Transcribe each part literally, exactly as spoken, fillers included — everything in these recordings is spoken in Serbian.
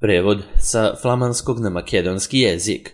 Prevod sa flamanskog na makedonski jezik.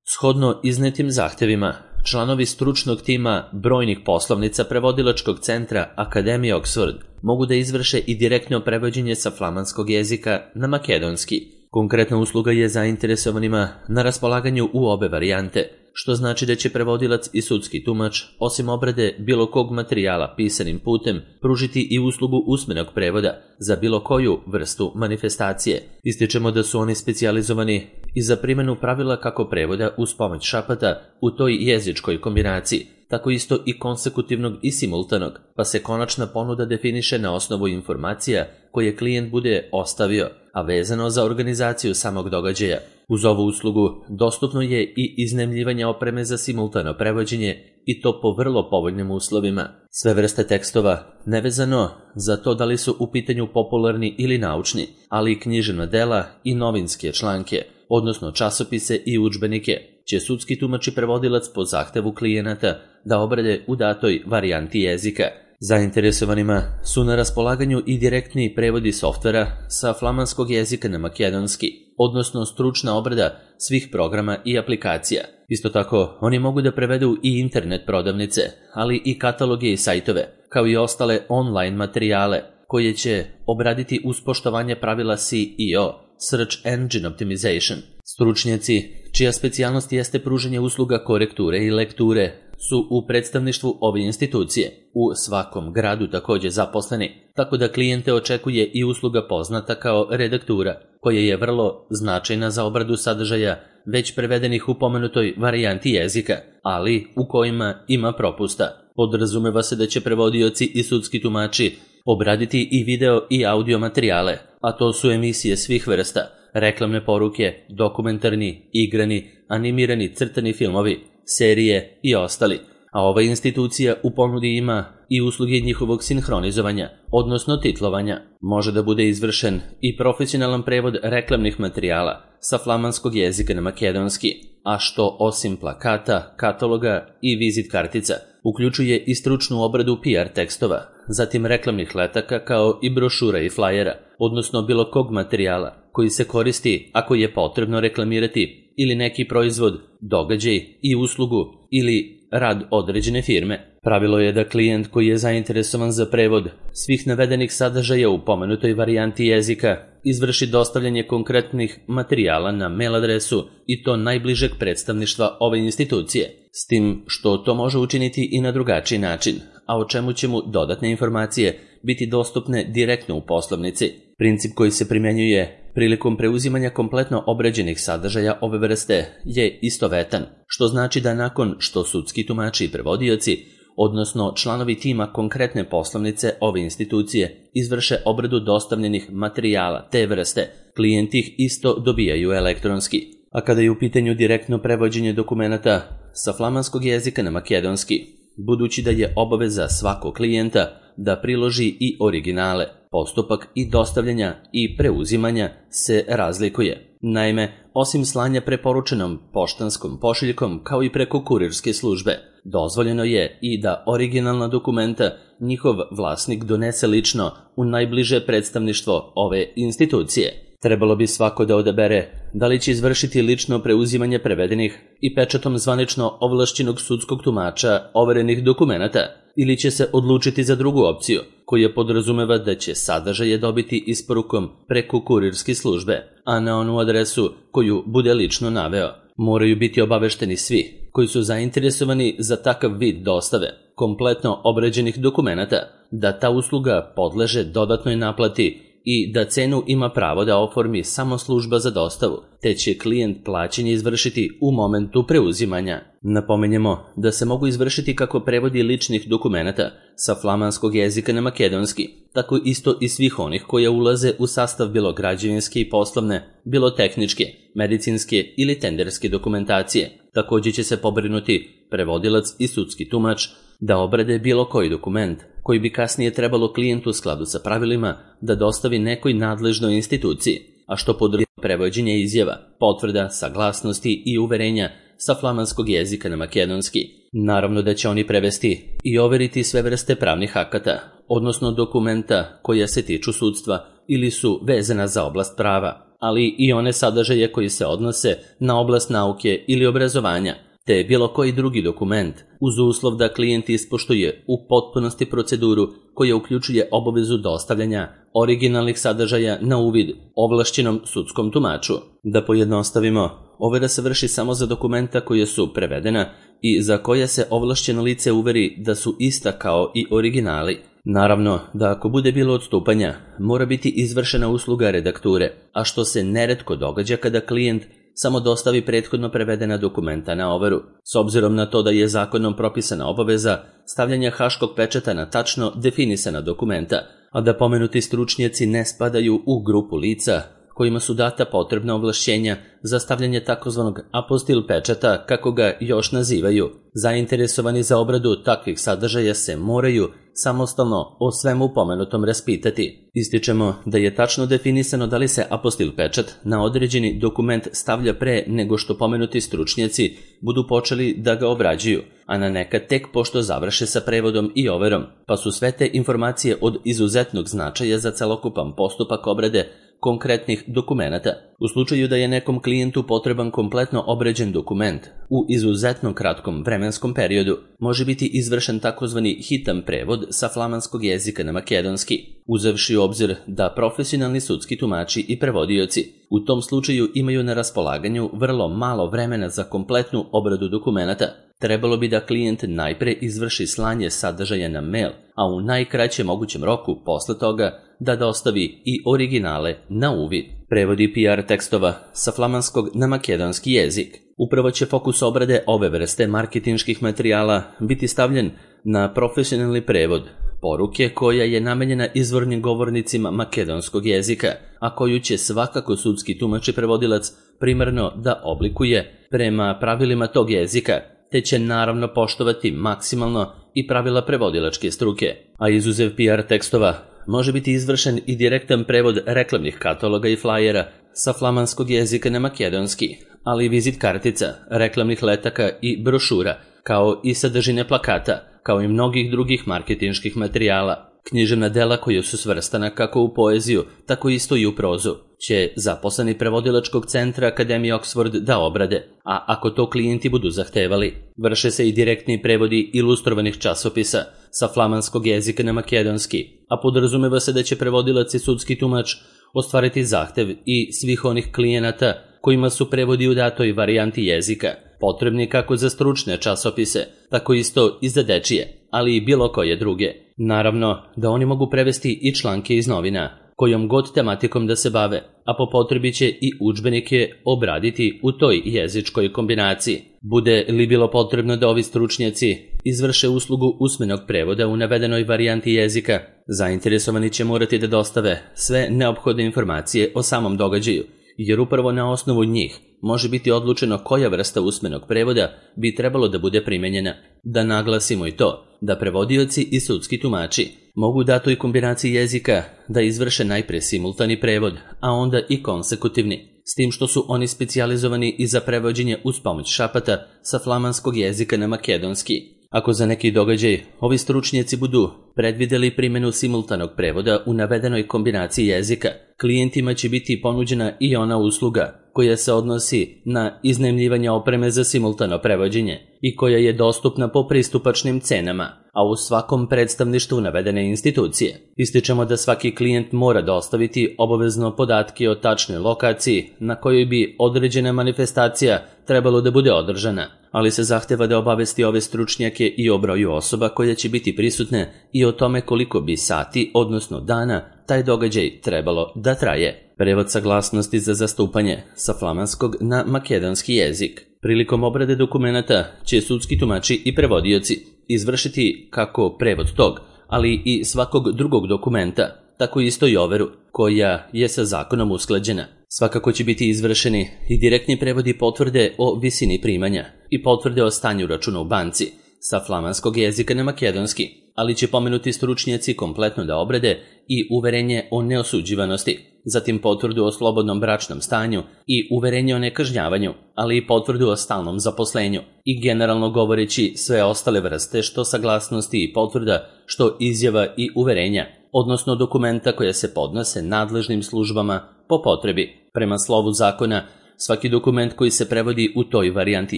Shodno iznetim zahtevima, članovi stručnog tima brojnih poslovnica prevodilačkog centra Akademije Oxford mogu da izvrše i direktno prevođenje sa flamanskog jezika na makedonski. Konkretna usluga je zainteresovanima na raspolaganju u obe varijante, što znači da će prevodilac i sudski tumač, osim obrade bilo kog materijala pisanim putem, pružiti i uslugu usmenog prevoda za bilo koju vrstu manifestacije. Ističemo da su oni specijalizovani i za primjenu pravila kako prevoda uz pomoć šapata u toj jezičkoj kombinaciji, tako isto i konsekutivnog i simultanog, pa se konačna ponuda definiše na osnovu informacija koje klijent bude ostavio, a vezano za organizaciju samog događaja. Uz ovu uslugu dostupno je i iznajmljivanje opreme za simultano prevođenje i to po vrlo povoljnim uslovima. Sve vrste tekstova, nevezano za to da li su u pitanju popularni ili naučni, ali i književna dela i novinske članke, odnosno časopise i udžbenike, će sudski tumač i prevodilac po zahtevu klijenata da obrade u datoj varijanti jezika. Zainteresovanima su na raspolaganju i direktni prevodi softvera sa flamanskog jezika na makedonski, odnosno stručna obrada svih programa i aplikacija. Isto tako, oni mogu da prevedu i internet prodavnice, ali i kataloge i sajtove, kao i ostale online materijale, koje će obraditi uz poštovanje pravila S E O, Search Engine Optimization. Stručnjaci, čija specijalnost jeste pružanje usluga korekture i lekture, su u predstavništvu ove institucije, u svakom gradu također zaposleni, tako da klijente očekuje i usluga poznata kao redaktura, koja je vrlo značajna za obradu sadržaja već prevedenih u pomenutoj varijanti jezika, ali u kojima ima propusta. Podrazumeva se da će prevodioci i sudski tumači obraditi i video i audio materijale, a to su emisije svih vrsta, reklamne poruke, dokumentarni, igrani, animirani crtani filmovi, serije i ostali. A ova institucija u ponudi ima i usluge njihovog sinhronizovanja, odnosno titlovanja. Može da bude izvršen i profesionalan prevod reklamnih materijala sa flamanskog jezika na makedonski, a što osim plakata, kataloga i vizit kartica, uključuje i stručnu obradu P R tekstova, zatim reklamnih letaka kao i brošura i flajera, odnosno bilo kog materijala koji se koristi ako je potrebno reklamirati ili neki proizvod, događaj i uslugu ili rad određene firme. Pravilo je da klijent koji je zainteresovan za prevod svih navedenih sadržaja u pomenutoj varijanti jezika izvrši dostavljanje konkretnih materijala na mail adresu i to najbližeg predstavništva ove institucije, s tim što to može učiniti i na drugačiji način, a o čemu će mu dodatne informacije biti dostupne direktno u poslovnici. Princip koji se primjenjuje prilikom preuzimanja kompletno obrađenih sadržaja ove vrste je istovetan, što znači da nakon što sudski tumači i prevodioci, odnosno članovi tima konkretne poslovnice ove institucije, izvrše obradu dostavljenih materijala te vrste, klijenti ih isto dobijaju elektronski. A kada je u pitanju direktno prevođenje dokumenata sa flamanskog jezika na makedonski, budući da je obaveza svakog klijenta da priloži i originale, postupak i dostavljanja i preuzimanja se razlikuje. Naime, osim slanja preporučenom poštanskom pošiljkom kao i preko kurirske službe, dozvoljeno je i da originalna dokumenta njihov vlasnik donese lično u najbliže predstavništvo ove institucije. Trebalo bi svako da odabere da li će izvršiti lično preuzimanje prevedenih i pečatom zvanično ovlašćenog sudskog tumača overenih dokumenata ili će se odlučiti za drugu opciju, koja podrazumeva da će sadržaje dobiti isporukom preko kurirske službe, a na onu adresu koju bude lično naveo. Moraju biti obavešteni svi koji su zainteresovani za takav vid dostave kompletno obrađenih dokumenata, da ta usluga podleže dodatnoj naplati i da cenu ima pravo da oformi samo služba za dostavu, te će klijent plaćanje izvršiti u momentu preuzimanja. Napomenjemo da se mogu izvršiti kako prevodi ličnih dokumenata sa flamanskog jezika na makedonski, tako isto i svih onih koja ulaze u sastav bilo građevinske i poslovne, bilo tehničke, medicinske ili tenderske dokumentacije. Također će se pobrinuti prevodilac i sudski tumač da obrade bilo koji dokument koji bi kasnije trebalo klijentu u skladu sa pravilima da dostavi nekoj nadležnoj instituciji, a što podrazumeva prevođenje izjava, potvrda, saglasnosti i uverenja sa flamanskog jezika na makedonski. Naravno da će oni prevesti i overiti sve vrste pravnih akata, odnosno dokumenta koja se tiču sudstva ili su vezana za oblast prava. ali i one sadržaje koji se odnose na oblast nauke ili obrazovanja, te bilo koji drugi dokument, uz uslov da klijent ispoštuje u potpunosti proceduru koja uključuje obavezu dostavljanja originalnih sadržaja na uvid ovlašćenom sudskom tumaču. Da pojednostavimo, overa se vrši samo za dokumenta koja su prevedena i za koja se ovlašćeno lice uveri da su ista kao i originali. Naravno da ako bude bilo odstupanja, mora biti izvršena usluga redakture, a što se neretko događa kada klijent samo dostavi prethodno prevedena dokumenta na overu, s obzirom na to da je zakonom propisana obaveza stavljanja haškog pečata na tačno definisana dokumenta, a da pomenuti stručnjaci ne spadaju u grupu lica kojima su data potrebna ovlašćenja za stavljanje takozvanog apostil pečata, kako ga još nazivaju. Zainteresovani za obradu takvih sadržaja se moraju samostalno o svemu pomenutom raspitati. Ističemo da je tačno definisano da li se apostil pečat na određeni dokument stavlja pre nego što pomenuti stručnjaci budu počeli da ga obrađuju, a na nekad tek pošto završe sa prevodom i overom, pa su sve te informacije od izuzetnog značaja za celokupan postupak obrade konkretnih dokumenata. U slučaju da je nekom klijentu potreban kompletno obrađen dokument u izuzetno kratkom vremenskom periodu, može biti izvršen takozvani hitan prevod sa flamanskog jezika na makedonski, uzevši u obzir da profesionalni sudski tumači i prevodioci u tom slučaju imaju na raspolaganju vrlo malo vremena za kompletnu obradu dokumenata. Trebalo bi da klijent najpre izvrši slanje sadržaja na mail, a u najkraćem mogućem roku posle toga da dostavi i originale na uvid. Prevodi P R tekstova sa flamanskog na makedonski jezik. Upravo će fokus obrade ove vrste marketinških materijala biti stavljen na profesionalni prevod poruke koja je namenjena izvornim govornicima makedonskog jezika, a koju će svakako sudski tumač i prevodilac primarno da oblikuje prema pravilima tog jezika, te će naravno poštovati maksimalno i pravila prevodilačke struke. A izuzev P R tekstova, može biti izvršen i direktan prevod reklamnih kataloga i flajera sa flamanskog jezika na makedonski, ali i vizit kartica, reklamnih letaka i brošura, kao i sadržine plakata, kao i mnogih drugih marketinških materijala. Književna dela koja su svrstana kako u poeziju, tako isto i u prozu, će zaposleni prevodilačkog centra Akademije Oxford da obrade, a ako to klijenti budu zahtevali, vrše se i direktni prevodi ilustrovanih časopisa sa flamanskog jezika na makedonski, a podrazumeva se da će prevodilac i sudski tumač ostvariti zahtev i svih onih klijenata kojima su prevodi u datoj varijanti jezika potrebni kako za stručne časopise, tako isto i za dečije, ali i bilo koje druge. Naravno da oni mogu prevesti i članke iz novina, kojom god tematikom da se bave, a po potrebi će i udžbenike obraditi u toj jezičkoj kombinaciji. Bude li bilo potrebno da ovi stručnjaci izvrše uslugu usmenog prevoda u navedenoj varijanti jezika, zainteresovani će morati da dostave sve neophodne informacije o samom događaju, jer upravo na osnovu njih može biti odlučeno koja vrsta usmenog prevoda bi trebalo da bude primenjena. Da naglasimo i to, da prevodioci i sudski tumači mogu datoj kombinaciji jezika da izvrše najpre simultani prevod, a onda i konsekutivni, s tim što su oni specijalizovani i za prevođenje uz pomoć šapata sa flamanskog jezika na makedonski. Ako za neki događaj ovi stručnjaci budu predvideli primjenu simultanog prevoda u navedenoj kombinaciji jezika, klijentima će biti ponuđena i ona usluga koja se odnosi na iznajmljivanje opreme za simultano prevođenje i koja je dostupna po pristupačnim cenama, a u svakom predstavništvu navedene institucije. Ističemo da svaki klijent mora dostaviti obavezno podatke o tačnoj lokaciji na kojoj bi određena manifestacija trebalo da bude održana, ali se zahteva da obavesti ove stručnjake i o broju osoba koja će biti prisutne i o tome koliko bi sati, odnosno dana, taj događaj trebalo da traje. Prevod saglasnosti za zastupanje sa flamanskog na makedonski jezik. Prilikom obrade dokumenata će sudski tumači i prevodioci izvršiti kako prevod tog, ali i svakog drugog dokumenta, tako isto i overu, koja je sa zakonom usklađena. Svakako će biti izvršeni i direktni prevodi potvrde o visini primanja i potvrde o stanju računa u banci sa flamanskog jezika na makedonski, ali će pomenuti stručnjaci kompletno da obrade i uverenje o neosuđivanosti, zatim potvrdu o slobodnom bračnom stanju i uverenje o nekažnjavanju, ali i potvrdu o stalnom zaposlenju i generalno govoreći sve ostale vrste što saglasnosti i potvrda, što izjava i uverenja, odnosno dokumenta koje se podnose nadležnim službama po potrebi. Prema slovu zakona, svaki dokument koji se prevodi u toj varijanti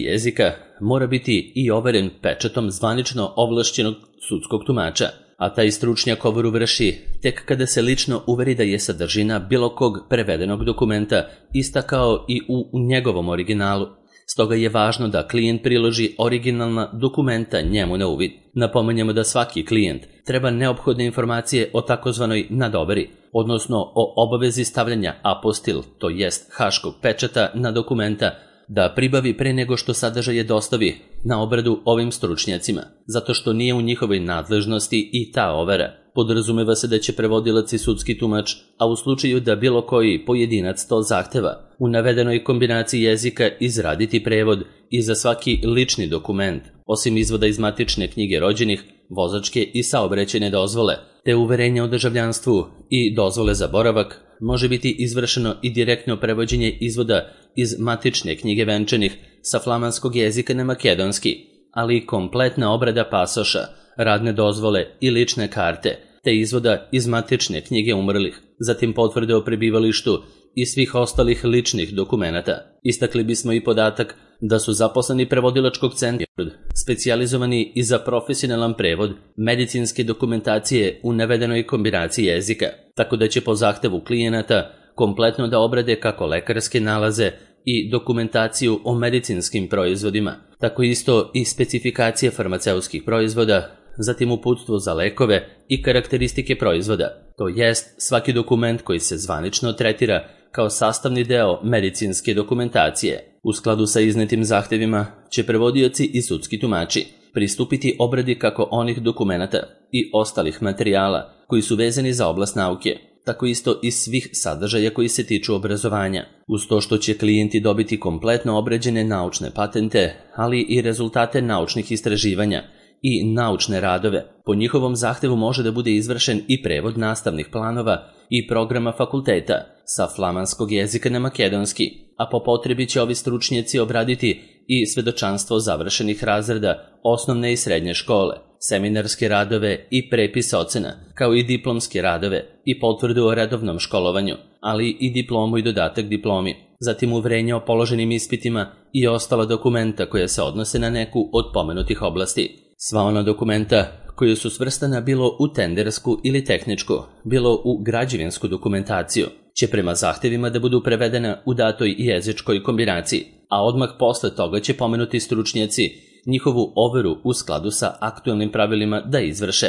jezika mora biti i overen pečatom zvanično ovlašćenog sudskog tumača, a taj stručnjak overu vrši tek kada se lično uveri da je sadržina bilo kog prevedenog dokumenta ista kao i u njegovom originalu. Stoga je važno da klijent priloži originalna dokumenta njemu na uvid. Napominjemo da svaki klijent treba neophodne informacije o takozvanoj nadoveri, odnosno o obavezi stavljanja apostil, to jest haškog pečata na dokumenta, da pribavi pre nego što sadržaje dostavi na obradu ovim stručnjacima, zato što nije u njihovoj nadležnosti i ta overa. Podrazumeva se da će prevodilac i sudski tumač, a u slučaju da bilo koji pojedinac to zahteva, u navedenoj kombinaciji jezika izraditi prevod i za svaki lični dokument, osim izvoda iz matične knjige rođenih, vozačke i saobraćajne dozvole, te uverenja o državljanstvu i dozvole za boravak, može biti izvršeno i direktno prevođenje izvoda iz matične knjige venčanih sa flamanskog jezika na makedonski, ali i kompletna obrada pasoša, radne dozvole i lične karte, te izvoda iz matične knjige umrlih, zatim potvrde o prebivalištu i svih ostalih ličnih dokumenata. Istakli bismo i podatak da su zaposleni prevodilačkog centra specijalizovani i za profesionalan prevod medicinske dokumentacije u navedenoj kombinaciji jezika, tako da će po zahtevu klijenata kompletno da obrade kako lekarske nalaze i dokumentaciju o medicinskim proizvodima, tako isto i specifikacije farmaceutskih proizvoda, zatim uputstvo za lekove i karakteristike proizvoda, to jest svaki dokument koji se zvanično tretira kao sastavni deo medicinske dokumentacije. U skladu sa iznetim zahtevima će prevodioci i sudski tumači pristupiti obradi kako onih dokumenata i ostalih materijala koji su vezani za oblast nauke, tako isto i svih sadržaja koji se tiču obrazovanja, uz to što će klijenti dobiti kompletno obrađene naučne patente, ali i rezultate naučnih istraživanja i naučne radove. Po njihovom zahtevu može da bude izvršen i prevod nastavnih planova i programa fakulteta sa flamanskog jezika na makedonski, a po potrebi će ovi stručnjaci obraditi i svedočanstvo završenih razreda osnovne i srednje škole, seminarske radove i prepis ocena, kao i diplomske radove i potvrdu o redovnom školovanju, ali i diplomu i dodatak diplomi, zatim uverenje o položenim ispitima i ostala dokumenta koja se odnose na neku od pomenutih oblasti. Sva ona dokumenta koja su svrstana bilo u tendersku ili tehničku, bilo u građevinsku dokumentaciju, će prema zahtevima da budu prevedena u datoj jezičkoj kombinaciji, a odmah posle toga će pomenuti stručnjaci njihovu overu u skladu sa aktuelnim pravilima da izvrše.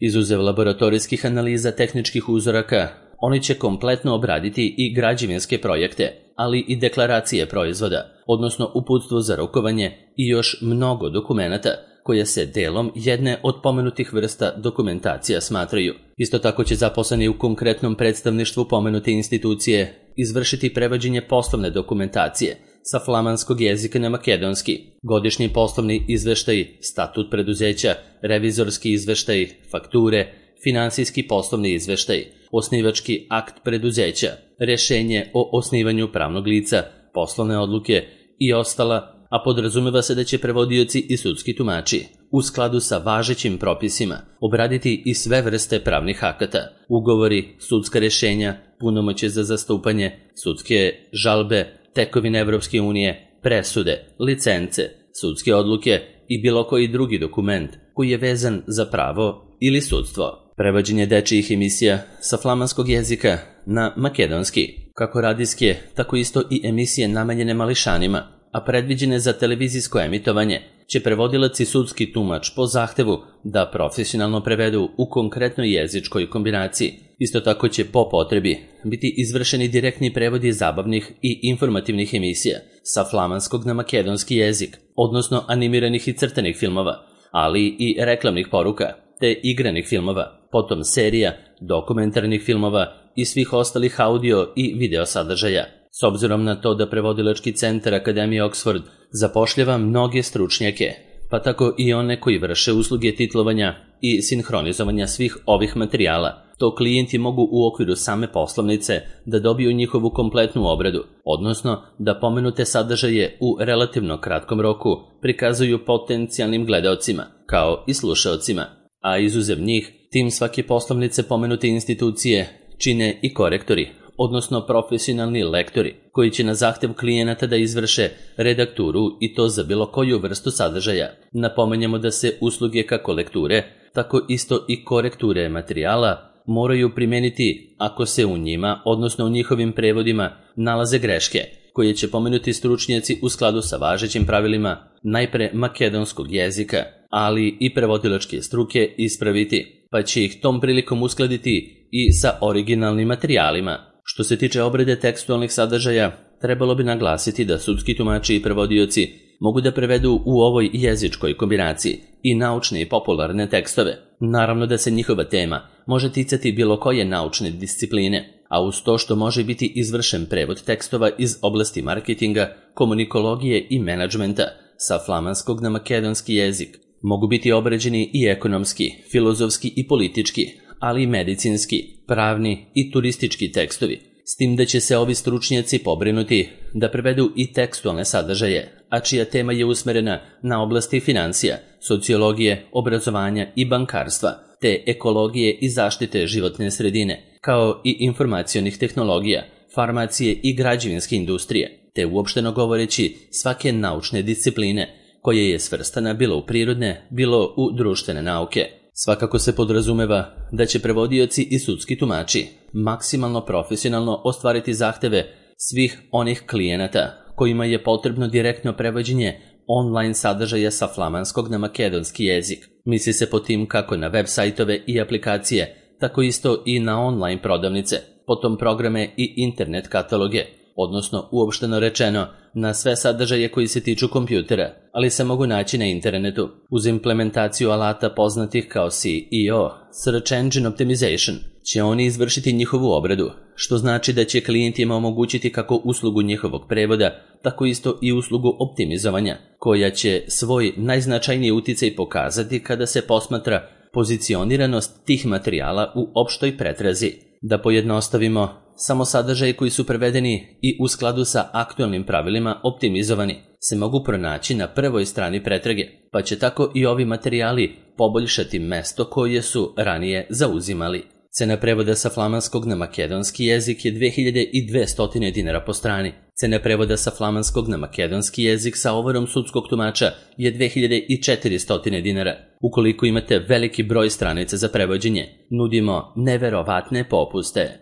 Izuzev laboratorijskih analiza tehničkih uzoraka, oni će kompletno obraditi i građevinske projekte, ali i deklaracije proizvoda, odnosno uputstvo za rukovanje i još mnogo dokumenata koje se delom jedne od pomenutih vrsta dokumentacija smatraju. Isto tako će zaposleni u konkretnom predstavništvu pomenute institucije izvršiti prevođenje poslovne dokumentacije sa flamanskog jezika na makedonski, godišnji poslovni izveštaj, statut preduzeća, revizorski izveštaj, fakture, finansijski poslovni izveštaj, osnivački akt preduzeća, rešenje o osnivanju pravnog lica, poslovne odluke i ostala, a podrazumeva se da će prevodioci i sudski tumači u skladu sa važećim propisima obraditi i sve vrste pravnih akata, ugovori, sudska rešenja, punomoćje za zastupanje, sudske žalbe, tekovine Evropske unije, presude, licence, sudske odluke i bilo koji drugi dokument koji je vezan za pravo ili sudstvo. Prevođenje dečijih emisija sa flamanskog jezika na makedonski, kako radijske, tako isto i emisije namenjene mališanima, a predviđene za televizijsko emitovanje, će prevodilac i sudski tumač po zahtevu da profesionalno prevedu u konkretnoj jezičkoj kombinaciji. Isto tako će po potrebi biti izvršeni direktni prevodi zabavnih i informativnih emisija sa flamanskog na makedonski jezik, odnosno animiranih i crtanih filmova, ali i reklamnih poruka, te igranih filmova, potom serija, dokumentarnih filmova i svih ostalih audio i video sadržaja. S obzirom na to da prevodilački centar Akademije Oxford zapošljava mnoge stručnjake, pa tako i one koji vrše usluge titlovanja i sinhronizovanja svih ovih materijala, to klijenti mogu u okviru same poslovnice da dobiju njihovu kompletnu obradu, odnosno da pomenute sadržaje u relativno kratkom roku prikazuju potencijalnim gledaocima, kao i slušaocima, a izuzev njih, tim svake poslovnice pomenute institucije čine i korektori, odnosno profesionalni lektori, koji će na zahtev klijenata da izvrše redakturu i to za bilo koju vrstu sadržaja. Napomenjamo da se usluge kako lekture, tako isto i korekture materijala moraju primeniti ako se u njima, odnosno u njihovim prevodima, nalaze greške, koje će pomenuti stručnjaci u skladu sa važećim pravilima najpre makedonskog jezika, ali i prevodilačke struke ispraviti, pa će ih tom prilikom uskladiti i sa originalnim materijalima. Što se tiče obrade tekstualnih sadržaja, trebalo bi naglasiti da sudski tumači i prevodioci mogu da prevedu u ovoj jezičkoj kombinaciji i naučne i popularne tekstove. Naravno da se njihova tema može ticati bilo koje naučne discipline, a uz to što može biti izvršen prevod tekstova iz oblasti marketinga, komunikologije i menadžmenta sa flamanskog na makedonski jezik. Mogu biti obrađeni i ekonomski, filozofski i politički, ali i medicinski, pravni i turistički tekstovi, s tim da će se ovi stručnjaci pobrinuti da prevedu i tekstualne sadržaje, a čija tema je usmerena na oblasti financija, sociologije, obrazovanja i bankarstva, te ekologije i zaštite životne sredine, kao i informacionih tehnologija, farmacije i građevinske industrije, te uopšteno govoreći svake naučne discipline, koja je svrstana bilo u prirodne, bilo u društvene nauke. Svakako se podrazumeva da će prevodioci i sudski tumači maksimalno profesionalno ostvariti zahteve svih onih klijenata kojima je potrebno direktno prevođenje online sadržaja sa flamanskog na makedonski jezik. Misli se po tim kako na web sajtove i aplikacije, tako isto i na online prodavnice, potom programe i internet kataloge, odnosno uopšteno rečeno na sve sadržaje koji se tiču kompjutera, ali se mogu naći na internetu. Uz implementaciju alata poznatih kao S E O, Search Engine Optimization, će oni izvršiti njihovu obradu, što znači da će klijentima omogućiti kako uslugu njihovog prevoda, tako isto i uslugu optimizovanja, koja će svoj najznačajniji uticaj pokazati kada se posmatra pozicioniranost tih materijala u opštoj pretrazi. Da pojednostavimo, samo sadržaji koji su prevedeni i u skladu sa aktualnim pravilima optimizovani se mogu pronaći na prvoj strani pretrage, pa će tako i ovi materijali poboljšati mesto koje su ranije zauzimali. Cena prevoda sa flamanskog na makedonski jezik je dve hiljade dvesta dinara po strani. Cena prevoda sa flamanskog na makedonski jezik sa overom sudskog tumača je dve hiljade četiristo dinara. Ukoliko imate veliki broj stranica za prevođenje, nudimo neverovatne popuste.